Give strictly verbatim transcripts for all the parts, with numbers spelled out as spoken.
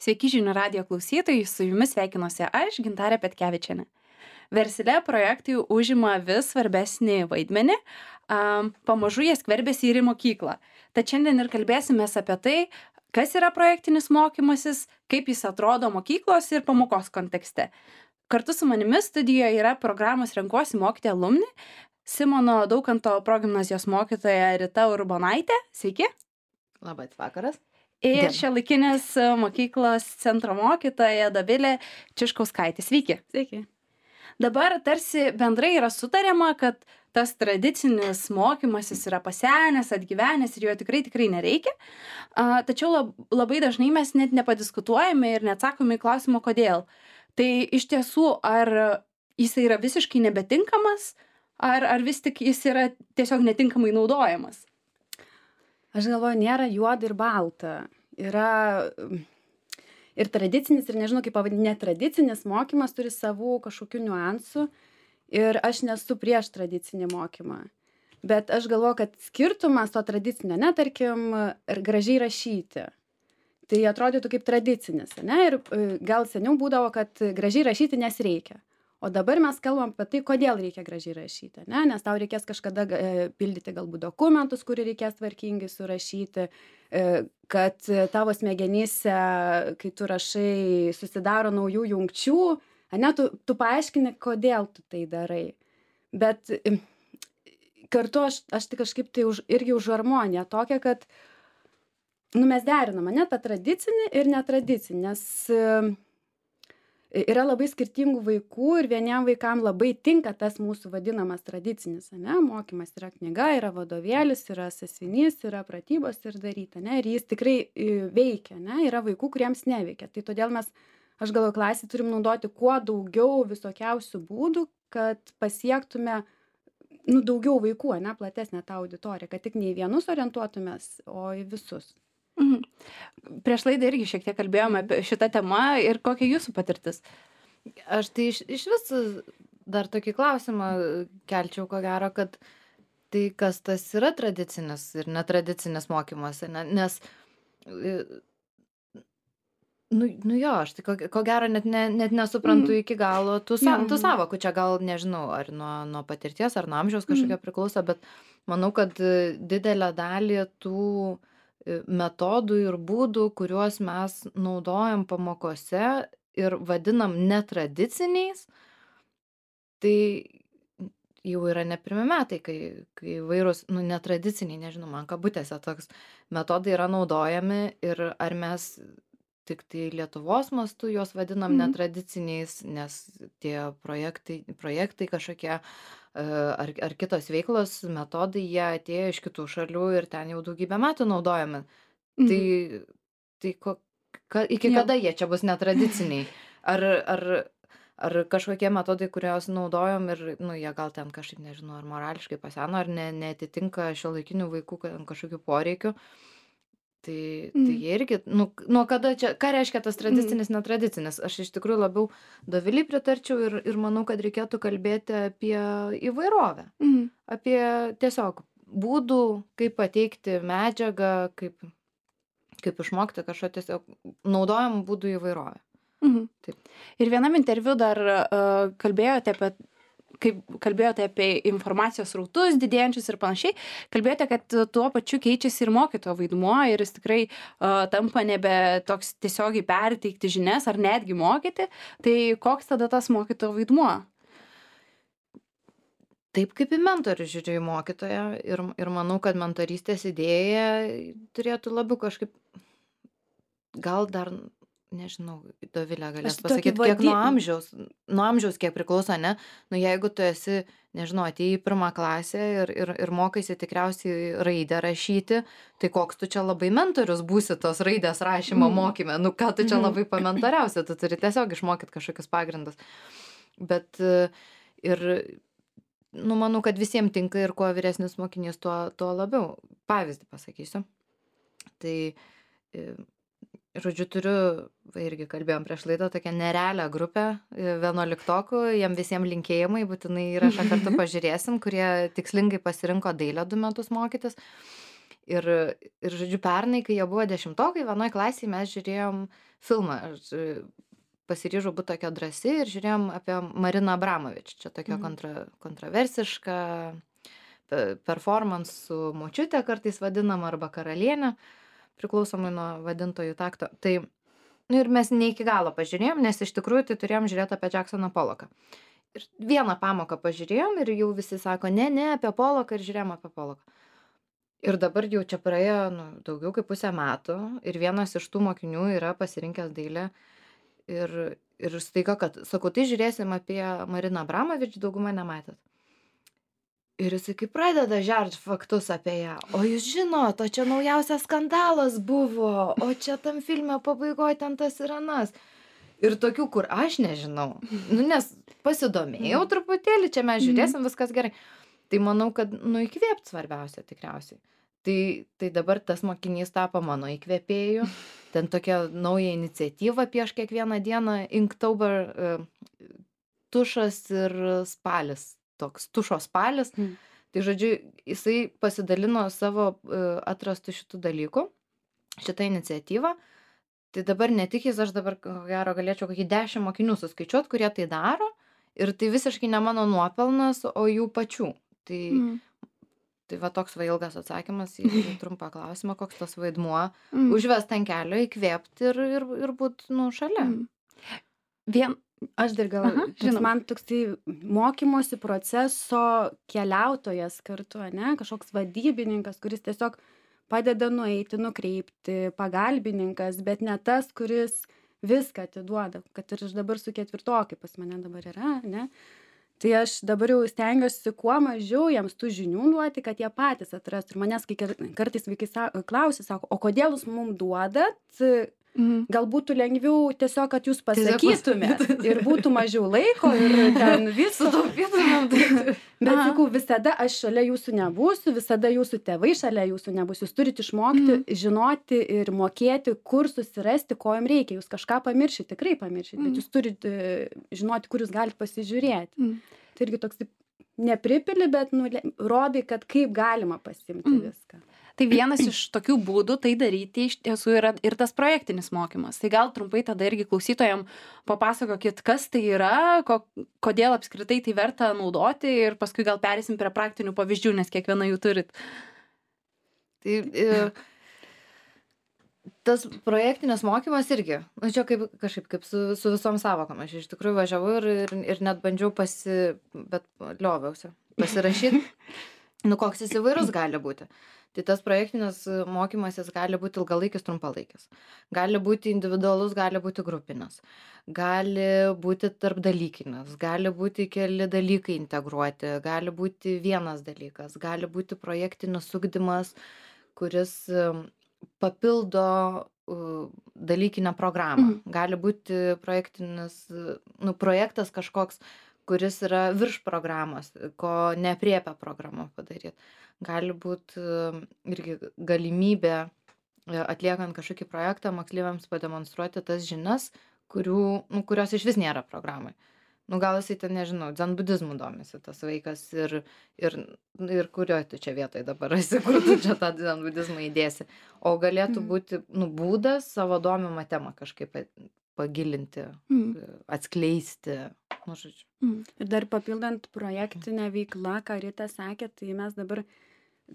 Sveiki žinių radijo klausytojai, su jumis sveikinuosi aš, Gintarė Petkevičienė. Versle projektai užima vis svarbesnį vaidmenį, um, pamažu jie skverbėsi ir į mokyklą. Tad šiandien ir kalbėsime apie tai, kas yra projektinis mokymasis, kaip jis atrodo mokyklos ir pamokos kontekste. Kartu su manimi studijoje yra programos Renkuosi mokyti alumni, Simono Daukanto progimnazijos mokytoja Rita Urbonaitė. Sveiki. Labas vakaras. Ir Diena. šiuolaikinės mokyklos centro mokytoja Dovilė Čiškauskaitė. Sveiki. Sveiki. Dabar tarsi bendrai yra sutariama, kad tas tradicinis mokymasis yra pasenęs, atgyvenęs ir jo tikrai tikrai nereikia. A, tačiau lab, labai dažnai mes net nepadiskutuojame ir neatsakome į klausimą, kodėl. Tai iš tiesų, ar jis yra visiškai nebetinkamas, ar, ar vis tik jis yra tiesiog netinkamai naudojamas? Aš galvoju, nėra juoda ir balta. Yra ir tradicinis, ir nežinau, kaip pavadinti, netradicinis mokymas turi savų kažkokių niuansų. Ir aš nesu prieš tradicinį mokymą. Bet aš galvoju, kad skirtumas to tradicinio, ne, tarkim, ir gražiai rašyti. Tai atrodytų kaip tradicinis, ne? Ir gal seniau būdavo, kad gražiai rašyti nes reikia. O dabar mes kalbam apie tai, kodėl reikia gražiai rašyti, ne? Nes tau reikės kažkada e, pildyti galbūt dokumentus, kurį reikės tvarkingai surašyti, e, kad tavo smegenyse, kai tu rašai, susidaro naujų jungčių, ne, tu, tu paaiškini, kodėl tu tai darai. Bet e, kartu aš, aš tai kažkaip tai už, irgi už harmoniją tokią, kad nu, mes derinam, ne, tą tradicinį ir netradicinį, nes e, yra labai skirtingų vaikų ir vieniem vaikam labai tinka tas mūsų vadinamas tradicinis, ne, mokymas. Yra knyga, yra vadovėlis, yra sąsiuvinys, yra pratybos ir daryti, ne, ir jis tikrai veikia, ne, yra vaikų, kuriems neveikia. Tai todėl mes, aš galvoju, klasį turim naudoti kuo daugiau visokiausių būdų, kad pasiektume, nu, daugiau vaikų, ne, platesnę tą auditoriją, kad tik ne į vienus orientuotumės, o į visus. Mhm. Prieš laidą irgi šiek tiek kalbėjome apie šitą temą ir kokia jūsų patirtis? Aš tai iš, iš vis dar tokį klausimą kelčiau, ko gero, kad tai kas tas yra tradicinis ir netradicinis mokymas, ne? Nes, nu, nu jo, aš tai ko, ko gero net, ne, net nesuprantu mm. iki galo tų, sa, tų savokų, čia gal nežinau, ar nuo, nuo patirties, ar nuo amžiaus kažkokia mm. priklauso, bet manau, kad didelę dalį tų metodų ir būdų, kuriuos mes naudojam pamokose ir vadinam netradiciniais, tai jau yra ne pirmi metai, kai, kai vairūs, nu, netradiciniai, nežinau, man kabutėse toks metodai yra naudojami ir ar mes tik tai Lietuvos mastu juos vadinam mm. netradiciniais, nes tie projektai, projektai kažkokie Ar, ar kitos veiklos metodai, jie atėjo iš kitų šalių ir ten jau daugybę metų naudojami. Mhm. Tai, tai ko, ka, iki ja. Kada jie čia bus netradiciniai? Ar, ar, ar kažkokie metodai, kuriuos naudojom ir, nu, jie gal ten kažkaip, nežinau, ar morališkai paseno, ar ne, neatitinka šiuolaikinių vaikų kažkokių poreikių. Tai, mm. tai jie irgi, nu, nuo kada čia, ką reiškia tas tradicinis, mm. netradicinis? Aš iš tikrųjų labiau Dovilei pritarčiau ir, ir manau, kad reikėtų kalbėti apie įvairovę. Mm. Apie tiesiog būdų, kaip pateikti medžiagą, kaip, kaip išmokti kažko tiesiog naudojamų būdų įvairovę. Mm. Taip. Ir vienam interviu dar uh, kalbėjote apie kaip kalbėjote apie informacijos srautus didėjančius ir panašiai, kalbėjote, kad tuo pačiu keičiasi ir mokytojo vaidmuo ir jis tikrai uh, tampa nebe toks tiesiogiai perteikti žinias ar netgi mokyti. Tai koks tada tas mokytojo vaidmuo? Taip kaip į mentorių žiūriu į mokytoją ir, ir manau, kad mentorystės idėja turėtų labiau kažkaip, gal dar nežinau, Dovilė galės pasakyti, kiek nuo amžiaus, nuo amžiaus kiek priklauso, ne? Nu, jeigu tu esi, nežinau, atėjai į pirmą klasę ir, ir, ir mokaisi tikriausiai raidę rašyti, tai koks tu čia labai mentorius būsi tos raidės rašymo mm. mokyme, nu, ką tu čia labai pamentoriausi, tu turi tiesiog išmokyti kažkokius pagrindus. Bet ir, nu, manau, kad visiems tinka ir kuo vyresnis mokinys, tuo, tuo labiau. Pavyzdį pasakysiu. Tai žodžiu, turiu, irgi kalbėjom prieš laidą, tokią nerealią grupę vienuoliktokų, jiem visiems linkėjimai, būtinai įrašą kartu pažiūrėsim, kurie tikslingai pasirinko dailę du metus mokytis. Ir, ir žodžiu, pernai, kai jie buvo dešimtokai, vienoj klasėje mes žiūrėjom filmą. Aš e, pasiryžau būti tokia drąsi ir žiūrėjom apie Mariną Abramovič. Čia tokia Mhm. kontra, kontroversiška pe- performance su močiute kartais vadinama arba karalienė, priklausomai nuo vadintojų takto. Tai nu, ir mes ne iki galo pažiūrėjom, nes iš tikrųjų tai turėjom žiūrėti apie Jacksoną Polloką. Ir vieną pamoką pažiūrėjom ir jau visi sako, ne, ne, apie Polloką ir žiūrėjom apie Polloką. Ir dabar jau čia praėjo nu, daugiau kaip pusę metų ir vienas iš tų mokinių yra pasirinkęs dailę ir, ir staiga, kad, sakau, tai žiūrėsim apie Mariną Abramovič, daugumą nematėt. Ir jisai kaip pradeda žert faktus apie ją. O jūs žinot, o čia naujausias skandalas buvo, o čia tam filme pabaigoje ten tas ir anas. Ir tokių, kur aš nežinau. Nu, nes pasidomėjau truputėlį, čia mes žiūrėsim, viskas gerai. Tai manau, kad nu įkvėpt svarbiausia tikriausiai. Tai, tai dabar tas mokinys tapo mano įkvėpėju. Ten tokia nauja iniciatyva prieš kiekvieną dieną, Inktober, uh, tušas ir spalis. Toks tušo spalis. Mm. Tai žodžiu, jisai pasidalino savo uh, atrastų šitų dalykų, šitą iniciatyvą. Tai dabar ne tik jis, aš dabar ko gero galėčiau kokį dešimt mokinių suskaičiuot, kurie tai daro. Ir tai visiškai ne mano nuopelnas, o jų pačių. Tai, Mm. tai va toks va ilgas atsakymas į į trumpą klausimą, koks tas vaidmuo. Mm. Užvest ant kelio, įkvėpti ir, ir, ir būt nu, šalia. Mm. Vien, Aš dar gal, Aha, toks žinoma. man toks tai mokymosi proceso keliautojas kartu, ne, kažkoks vadybininkas, kuris tiesiog padeda nueiti, nukreipti, pagalbininkas, bet ne tas, kuris viską atiduoda, kad ir aš dabar su ketvirtokai pas mane dabar yra, ne. Tai aš dabar jau stengiuosi kuo mažiau jiems tų žinių duoti, kad jie patys atrastų. Ir manęs kai kar- kartais vaikai sa- klausia, sako, o kodėl jūs mums duodat? mhm. Gal būtų lengviau tiesiog, kad jūs Tiesiog pasakytumėt ir būtų mažiau laiko ir ten viso. Sutaupytumėm. tai- Bet Aha. sakau, visada aš šalia jūsų nebūsiu, visada jūsų tėvai šalia jūsų nebus. Jūs turite išmokti, žinoti ir mokėti, kur susirasti, ko jums reikia. Jūs kažką pamiršit, tikrai pamiršit, Mm. bet jūs turite žinoti, kur jūs galite pasižiūrėti. Mm. Tai irgi toks taip nepripili, bet nu, le- rodai, kad kaip galima pasimti Mm. viską. Tai vienas iš tokių būdų tai daryti iš tiesų yra ir tas projektinis mokymas. Tai gal trumpai tada irgi klausytojam papasakokit, kas tai yra, ko, kodėl apskritai tai verta naudoti ir paskui gal perėsim prie praktinių pavyzdžių, nes kiekviena jų turit. Tai e, tas projektinis mokymas irgi, nu čia kaip kažkaip kaip su, su visom savokom. Aš iš tikrųjų važiavau ir, ir, ir net bandžiau pasi, bet lioviausi, pasirašyti, nu koks jis įvairus gali būti. Tai tas projektinis mokymas jis gali būti ilgalaikis, trumpalaikis. Gali būti individualus, gali būti grupinis. Gali būti tarpdalykinis, gali būti keli dalykai integruoti, gali būti vienas dalykas, gali būti projektinis ugdymas, kuris um, papildo uh, dalykinę programą. Mhm. Gali būti projektinis, uh, nu, projektas kažkoks, kuris yra virš programos, ko nepriepia programa padaryti. Gali būti irgi galimybė e, atliekant kažkokį projektą moksleiviams pademonstruoti tas žinias, kurių, nu, kurios iš vis nėra programai. Nu, gal jisai ten, nežinau, dzenbudizmu domisi tas vaikas ir, ir, ir kurioje tu čia vietoje dabar esi, kur tu čia tą dzenbudizmą įdėsi. O galėtų Mhm. būti nu, būdas savo domimą temą kažkaip pagilinti, Mm. atskleisti. Nu, žodžiu. Mm. Ir dar papildant projektinę veiklą, ką Rita sakė, tai mes dabar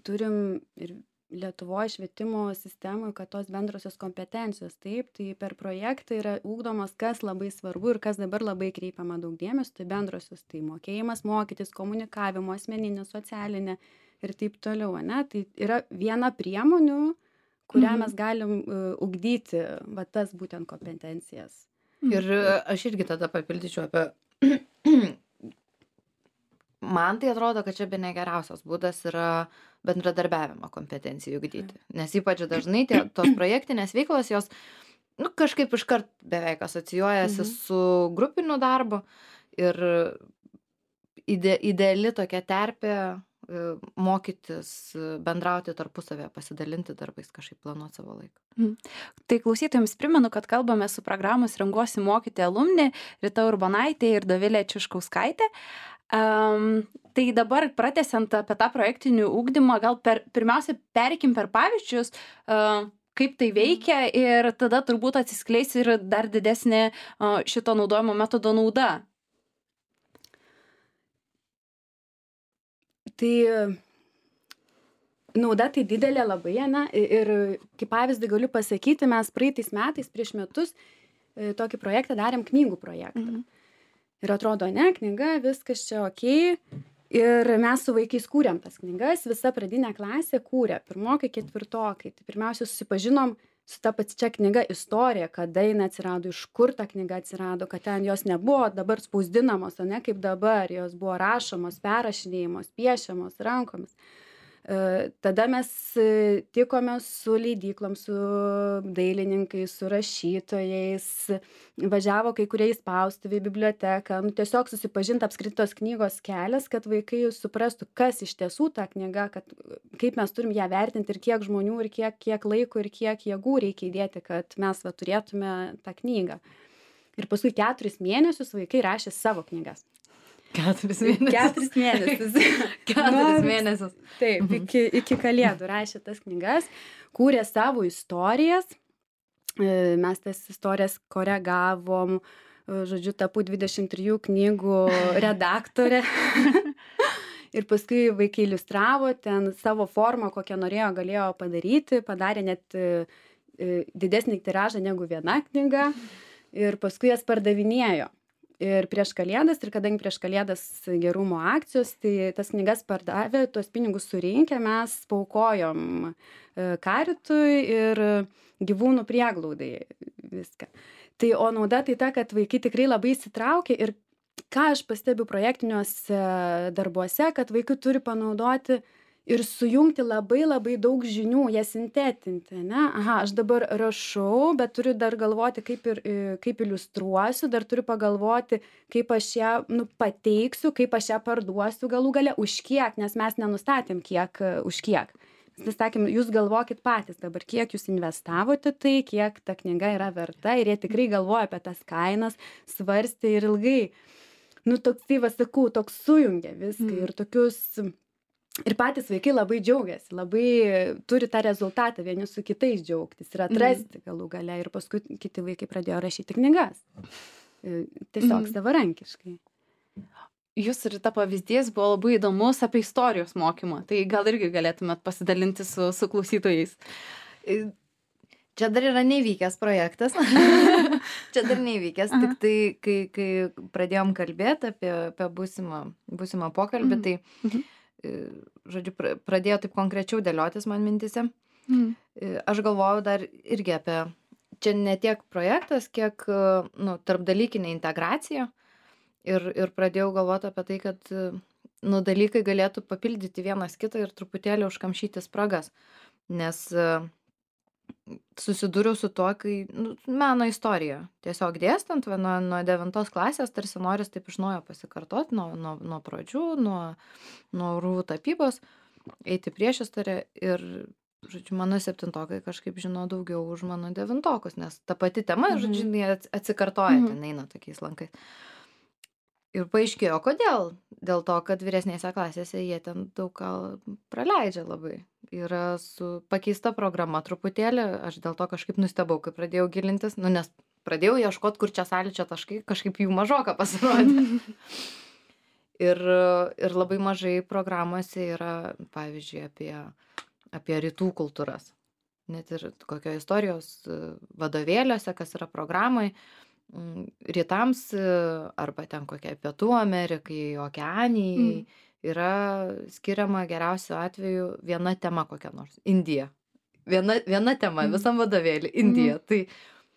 turim ir Lietuvoje švietimo sistemoje, kad tos bendrosios kompetencijos, taip, tai per projektą yra ūkdomas, kas labai svarbu ir kas dabar labai kreipiama daug dėmesio, tai bendrosios, tai mokėjimas mokytis, komunikavimo, asmeninė, socialinė ir taip toliau, ne? Tai yra viena priemonių, kurią Mhm. mes galim uh, ugdyti, va tas būtent kompetencijas. Ir aš irgi tada papildyčiau apie... Man tai atrodo, kad čia bene geriausias būdas yra bendradarbiavimo kompetencijų ugdyti. Nes ypač dažnai tie, tos projektinės veiklos, jos nu, kažkaip iškart beveik asocijuojasi Mhm. su grupiniu darbu. Ir ide, ideali tokia terpė e, mokytis, e, bendrauti tarpusavėje, pasidalinti darbais, kažkaip planuoti savo laiką. Tai klausytojams primenu, kad kalbame su programos Renguosi mokyti alumni Rita Urbonaitė ir Dovilė Čiuškauskaitė. Um, tai dabar pratęsiant apie tą projektinį ugdymą, gal per, pirmiausia pereikim per pavyzdžius, uh, kaip tai veikia ir tada turbūt atsiskleis ir dar didesnė uh, šito naudojimo metodo nauda. Tai nauda tai didelė labai, ne? Ir kaip pavyzdį galiu pasakyti, mes praeitais metais, prieš metus, tokį projektą darėm, knygų projektą. Mhm. Ir atrodo, ne, knyga, viskas čia okei. Ir mes su vaikais kūrėm tas knygas, visa pradinė klasė kūrė, pirmokai, ketvirtokai. Tai pirmiausia, susipažinom su ta pačia knyga istorija, kada jinai atsirado, iš kur ta knyga atsirado, kad ten jos nebuvo dabar spausdinamos, o ne kaip dabar, jos buvo rašomos, perrašinėjamos, piešiamos rankomis. Tada mes tikome su leidyklom, su dailininkais, su rašytojais, važiavo kai kurie į spaustuvę, į biblioteką, nu, tiesiog susipažinti apskritos knygos kelias, kad vaikai suprastų, kas iš tiesų ta knyga, kad, kaip mes turim ją vertinti ir kiek žmonių, ir kiek, kiek laiko, ir kiek jėgų reikia įdėti, kad mes va, turėtume tą knygą. Ir paskui keturis mėnesius vaikai rašė savo knygas. Keturis mėnesius. Keturis mėnesius. Keturis mėnesius. Taip, iki, iki kalėdų rašė tas knygas, kūrė savo istorijas, mes tas istorijas koregavom, žodžiu, tapau dvidešimt trijų knygų redaktorė. Ir paskui vaikai iliustravo ten savo formą, kokią norėjo, galėjo padaryti, padarė net didesnį tiražą negu viena knyga ir paskui jas pardavinėjo. Ir prieš kalėdas, ir kadangi prieš kalėdas gerumo akcijos, tai tas knygas pardavė, tuos pinigus surinkę, mes paukojom karitui ir gyvūnų prieglaudai viską. Tai o nauda tai ta, kad vaikai tikrai labai įsitraukia ir ką aš pastebiu projektiniuose darbuose, kad vaikai turi panaudoti ir sujungti labai labai daug žinių, jas sintetinti, ne? Aha, aš dabar rašau, bet turiu dar galvoti, kaip, ir, kaip iliustruosiu, dar turiu pagalvoti, kaip aš ją nu, pateiksiu, kaip aš ją parduosiu galų gale, už kiek, nes mes nenustatėm, kiek, už kiek. Mes sakėm, jūs galvokit patys dabar, kiek jūs investavote tai, kiek ta knyga yra verta ir jie tikrai galvoja apie tas kainas, svarstė ir ilgai. Nu, toks, tai va, sakau, toks sujungia viską mm. ir tokius... Ir patys vaikai labai džiaugiasi, labai turi tą rezultatą vieni su kitais džiaugtis ir atrasti galų gale. Ir paskui kiti vaikai pradėjo rašyti knygas. Tiesiog mm. savarankiškai. Jūs ir ta pavyzdys buvo labai įdomus apie istorijos mokymą. Tai gal irgi galėtumėt pasidalinti su, su klausytojais. Čia dar yra neįvykęs projektas. Čia dar neįvykęs. Aha. Tik tai, kai, kai pradėjom kalbėti apie, apie būsimą, būsimą pokalbį, mm. tai... Mm-hmm. žodžiu, pradėjo taip konkrečiau dėliotis man mintise. Mm. Aš galvojau dar irgi apie, čia ne tiek projektas, kiek nu, tarpdalykinė integracija. Ir, ir pradėjau galvoti apie tai, kad nu, dalykai galėtų papildyti vienas kitą ir truputėlį užkamšyti spragas. Nes susidūriau su tuo, kai nu, meno istorija. Tiesiog dėstant, nuo, nuo devintos klasės tarsi noris taip iš naujo pasikartoti, nuo, nuo, nuo pradžių, nuo, nuo rūvų tapybos, eiti prieš istoriją ir, žodžiu, mano septintokai kažkaip žino daugiau už mano devintokus, nes ta pati tema, mhm. žodžiu, jie atsikartoja, mhm. ten eina tokiais lankais. Ir paaiškėjo, kodėl. Dėl to, kad vyresnėse klasėse jie ten daug ką praleidžia labai. Yra su pakeista programa truputėlį, aš dėl to kažkaip nustebau, kai pradėjau gilintis, nu, nes pradėjau ieškoti, kur čia sąlyčio taškai, kažkaip jų mažoka pasirodė. ir, ir labai mažai programuose yra, pavyzdžiui, apie, apie rytų kultūras. Net ir kokio istorijos vadovėliuose, kas yra programai, rytams arba ten kokiai Pietų Amerikai, Okeanijai mm. yra skiriama geriausiu atveju viena tema kokia nors. Indija. Viena, viena tema mm. visam vadovėlį. Indija. Mm. Tai,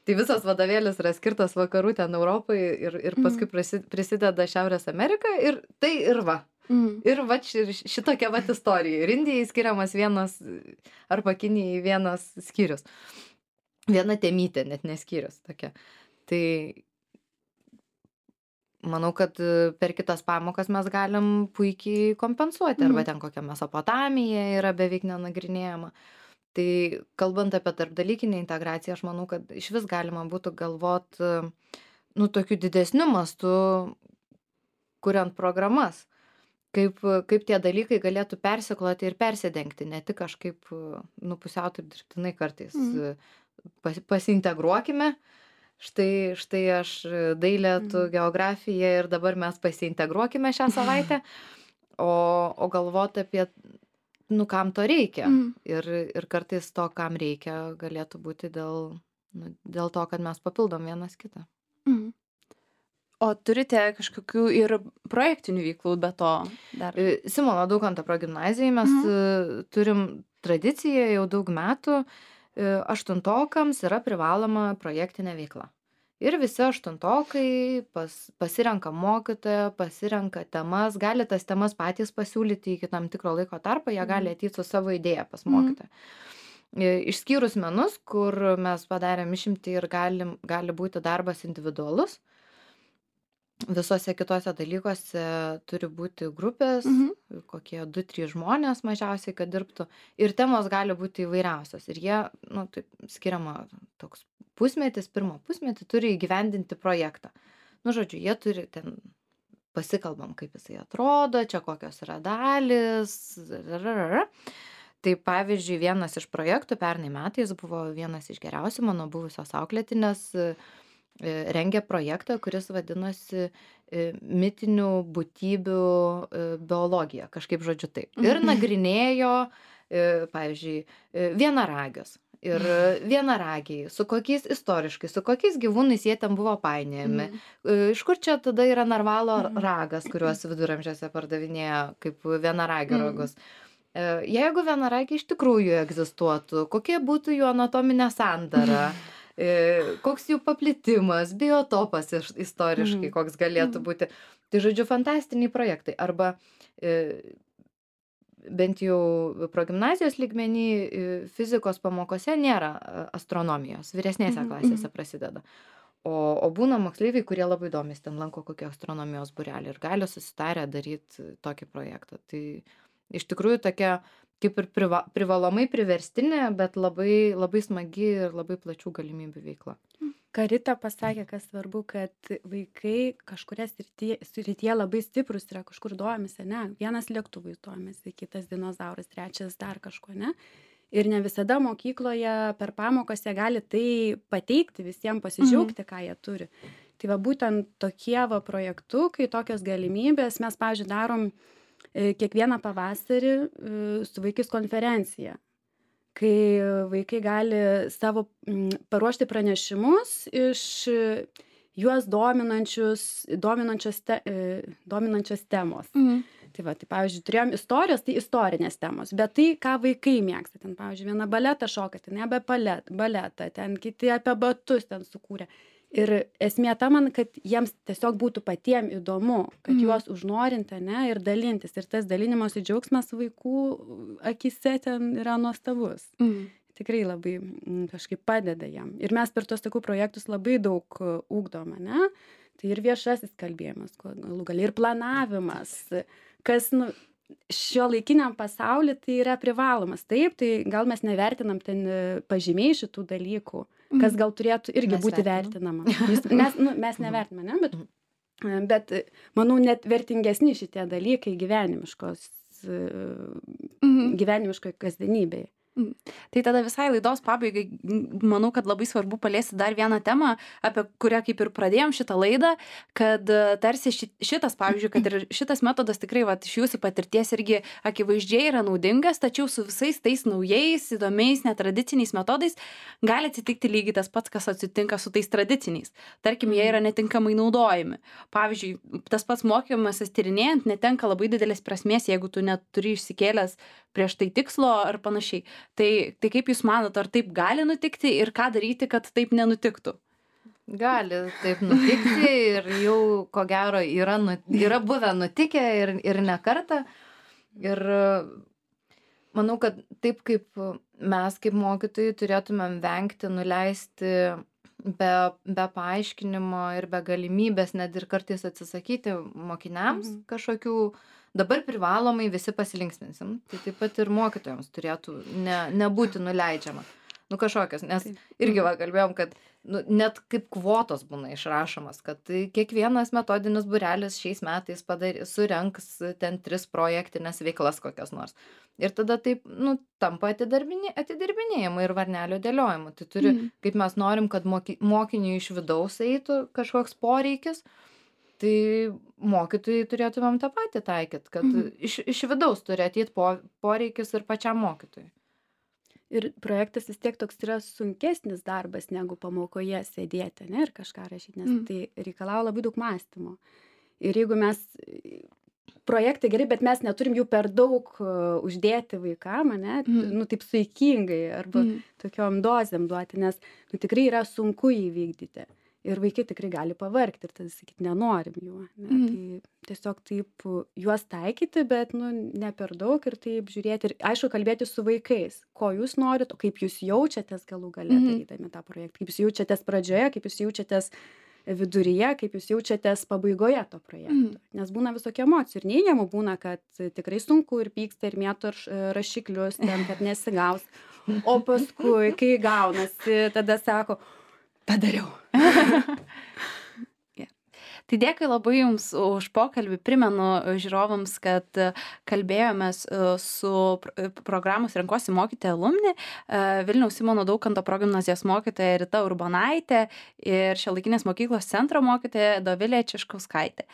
tai visas vadovėlis yra skirtas vakarų ten Europai ir, ir paskui mm. prisideda Šiaurės Amerika ir tai ir va. Mm. Ir va šitokia va istorija. Ir Indijai skiriamas vienas, arba Kinijai vienas skyrius. Viena temytė, net neskyrius tokia. Tai manau, kad per kitas pamokas mes galim puikiai kompensuoti, arba ten kokia Mesopotamija yra beveik nenagrinėjama. Tai kalbant apie tarpdalykinę integraciją, aš manau, kad iš vis galima būtų galvot, nu, tokiu didesniu mastu, kuriant programas, kaip, kaip tie dalykai galėtų persikloti ir persidengti, ne tik kažkaip, nu, pusiau taip dirbtinai kartais. Mhm. Pas, pasiintegruokime, štai, štai aš dailė, tu Mhm. geografija ir dabar mes pasiintegruokime šią savaitę, o, o galvoti apie, nu, kam to reikia. Mhm. Ir, ir kartais to, kam reikia, galėtų būti dėl, nu, dėl to, kad mes papildom vienas kitą. Mhm. O turite kažkokių ir projektinių veiklų be to dar? E, Simono Daukanto progimnazijai mes Mhm. e, turim tradiciją jau daug metų, e, aštuntokams yra privaloma projektinė veikla. Ir visi aštuntokai pas, pasirenka mokytoją, pasirenka temas, gali tas temas patys pasiūlyti iki tam tikro laiko tarpo, jie gali Mhm. ateiti su savo idėja pas Mhm. mokytoją. E, Išskyrus menus, kur mes padarėm išimtį ir galim, gali būti darbas individualus. Visose kitose dalykuose turi būti grupės, Mhm. kokie du trys žmonės mažiausiai, kad dirbtų. Ir temos gali būti įvairiausios. Ir jie, nu, taip skiriama toks pusmetis, pirmą pusmetį turi įgyvendinti projektą. Nu, žodžiu, jie turi ten, pasikalbam, kaip jisai atrodo, čia kokios yra dalis. Rarara. Tai pavyzdžiui, vienas iš projektų pernai metais buvo vienas iš geriausių mano buvusios auklėtinės, e, rengė projektą, kuris vadinosi e, mitinių būtybių e, biologija, kažkaip žodžiu taip. Ir Mhm. nagrinėjo, e, pavyzdžiui, e, vienaragius. Ir vienaragiai, su kokiais istoriškai, su kokiais gyvūnais jie ten buvo painiojami. Mhm. E, Iš kur čia tada yra narvalo Mhm. ragas, kuriuos viduramžiuose pardavinėjo kaip vienaragio Mhm. ragus. E, Jeigu vienaragiai iš tikrųjų egzistuotų, kokia būtų jų anatominė sandara, e, koks jų paplitimas, biotopas iš- istoriškai, Mhm. koks galėtų Mhm. būti. Tai žodžiu, fantastiniai projektai. Arba e, bent jau progimnazijos lygmenį e, fizikos pamokose nėra e, astronomijos, vyresnėse Mhm. klasėse Mhm. prasideda. O, o būna moksleiviai, kurie labai domisi, ten lanko kokį astronomijos būrelį ir gali susitarę daryti tokį projektą. Tai iš tikrųjų tokia kaip ir priva, privalomai priverstinė, bet labai, labai smagi ir labai plačių galimybių veikla. Karita pasakė, kas svarbu, kad vaikai kažkuria srityje, srityje labai stiprus yra, kažkur domisi, ne? Vienas lėktuvais domisi, kitas dinozauras, trečias dar kažko, ne? Ir ne visada mokykloje per pamokas jie gali tai pateikti, visiems pasidžiaugti, ką jie turi. Tai va būtent tokie va projektukai, tokios galimybės, mes, pavyzdžiui, darom e, kiekvieną pavasarį e, su vaikais konferenciją, kai vaikai gali savo mm, paruošti pranešimus iš e, juos dominančius, dominančios, te, e, dominančios temos. Mhm. Tai va, tai pavyzdžiui, turėjom istorijos, tai istorinės temos, bet tai, ką vaikai mėgsta, ten, pavyzdžiui, viena baletą šoka, ten apie balet, baletą, ten kiti apie batus ten sukūrė. Ir esmė ta man, kad jiems tiesiog būtų patiem įdomu, kad Mhm. juos užnorinti, ne, ir dalintis. Ir tas dalinimosi džiaugsmas vaikų akise ten yra nuostabus. Mhm. Tikrai labai mm, kažkaip padeda jam. Ir mes per tos tokių projektus labai daug e, ugdom, ne? Tai ir viešasis kalbėjimas, ko- galų gali ir planavimas, kas, nu, šio laikiniam pasaulyje tai yra privalomas. Taip, tai gal mes nevertinam ten e, pažymiai šitų dalykų, kas gal turėtų irgi Mes būti vertinam. vertinama. Jūs, mes, nu, mes nevertiname, ne? Bet, e, bet e, manau, net vertingesni šitie dalykai gyvenimiškos, e, Mhm. gyvenimiškoje kasdienybėje. Mm. Tai tada visai laidos pabaigai, m, manau, kad labai svarbu paliesti dar vieną temą, apie kurią kaip ir pradėjom šitą laidą, kad e, tarsi ši- šitas, pavyzdžiui, kad ir šitas metodas tikrai, va, iš jūsų patirties irgi akivaizdžiai yra naudingas, tačiau su visais tais naujais, įdomiais, netradiciniais metodais gali atsitikti lygiai tas pats, kas atsitinka su tais tradiciniais. Tarkim, jie yra netinkamai naudojami. Pavyzdžiui, tas pats mokymasis tyrinėjant netenka labai didelės prasmės, jeigu tu neturi išsikėlęs prieš tai tikslo ar panašiai. Tai, tai kaip Jūs manot, ar taip gali nutikti ir ką daryti, kad taip nenutiktų? Gali taip nutikti ir jau, ko gero, yra, nu, yra buvę nutikę ir, ir ne kartą. Ir e, manau, kad taip kaip mes kaip mokytojai turėtumėm vengti, nuleisti be, be paaiškinimo ir be galimybės, net ir kartais atsisakyti mokiniams Mhm. kažkokių, dabar privalomai visi pasilinksminsim. Tai taip pat ir mokytojams turėtų ne, nebūti nuleidžiama. nu kažkokios, nes Taip. irgi va kalbėjom, kad nu, net kaip kvotos būna išrašomas, kad tai kiekvienas metodinis būrelis šiais metais padary, surenks ten tris projektinės veiklas kokias nors. Ir tada taip, nu, tampa atidarbinė, atidirbinėjimu ir varnelio dėliojimu. Tai turi, Mhm. kaip mes norim, kad moky, mokiniui iš vidaus eitų kažkoks poreikis, tai mokytojai turėtumėm tą patį taikyti, kad Mhm. iš, iš vidaus turi ateiti po, poreikis ir pačiam mokytojui. Ir projektas vis tiek toks yra sunkesnis darbas negu pamokoje sėdėti, ne, ir kažką rašyti, nes Mm. tai reikalauja labai daug mąstymo. Ir jeigu mes, projektai gerai, bet mes neturim jų per daug uh, uždėti vaikam, ne, Mm. nu taip saikingai arba Mhm. tokiom dozėm duoti, nes nu, tikrai yra sunku įvykdyti. Ir vaikai tikrai gali pavargti ir tada sakyti, nenorim jų. Ne? Mhm. Tai tiesiog taip uh, juos taikyti, bet nu, ne per daug ir taip žiūrėti. Ir aišku, kalbėti su vaikais, ko jūs norit, o kaip jūs jaučiatės galų gale Mhm. darydami tą projektą. Kaip jūs jaučiatės pradžioje, kaip jūs jaučiatės viduryje, kaip jūs jaučiatės pabaigoje to projekto. Mhm. Nes būna visokių emocijų ir neigiamų būna, kad tikrai sunku ir pyksta ir mėto ir rašiklius ten, kad nesigaus. O paskui, kai gaunasi, tada sako, padariau. Yeah. Tai dėkui labai Jums už pokalbį. Primenu žiūrovams, kad kalbėjomės su programos Renkuosi mokyti alumni, Vilniaus Simono Daukanto progimnazijos mokytoja Rita Urbonaitė ir Šiuolaikinės mokyklos centro mokytoja Dovilė Čiškauskaitė.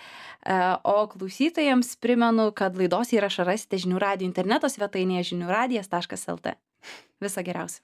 O klausytojams primenu, kad laidos įrašą rasite žinių radijo interneto svetainėje žinių radijas taškas lt. Viso geriausio.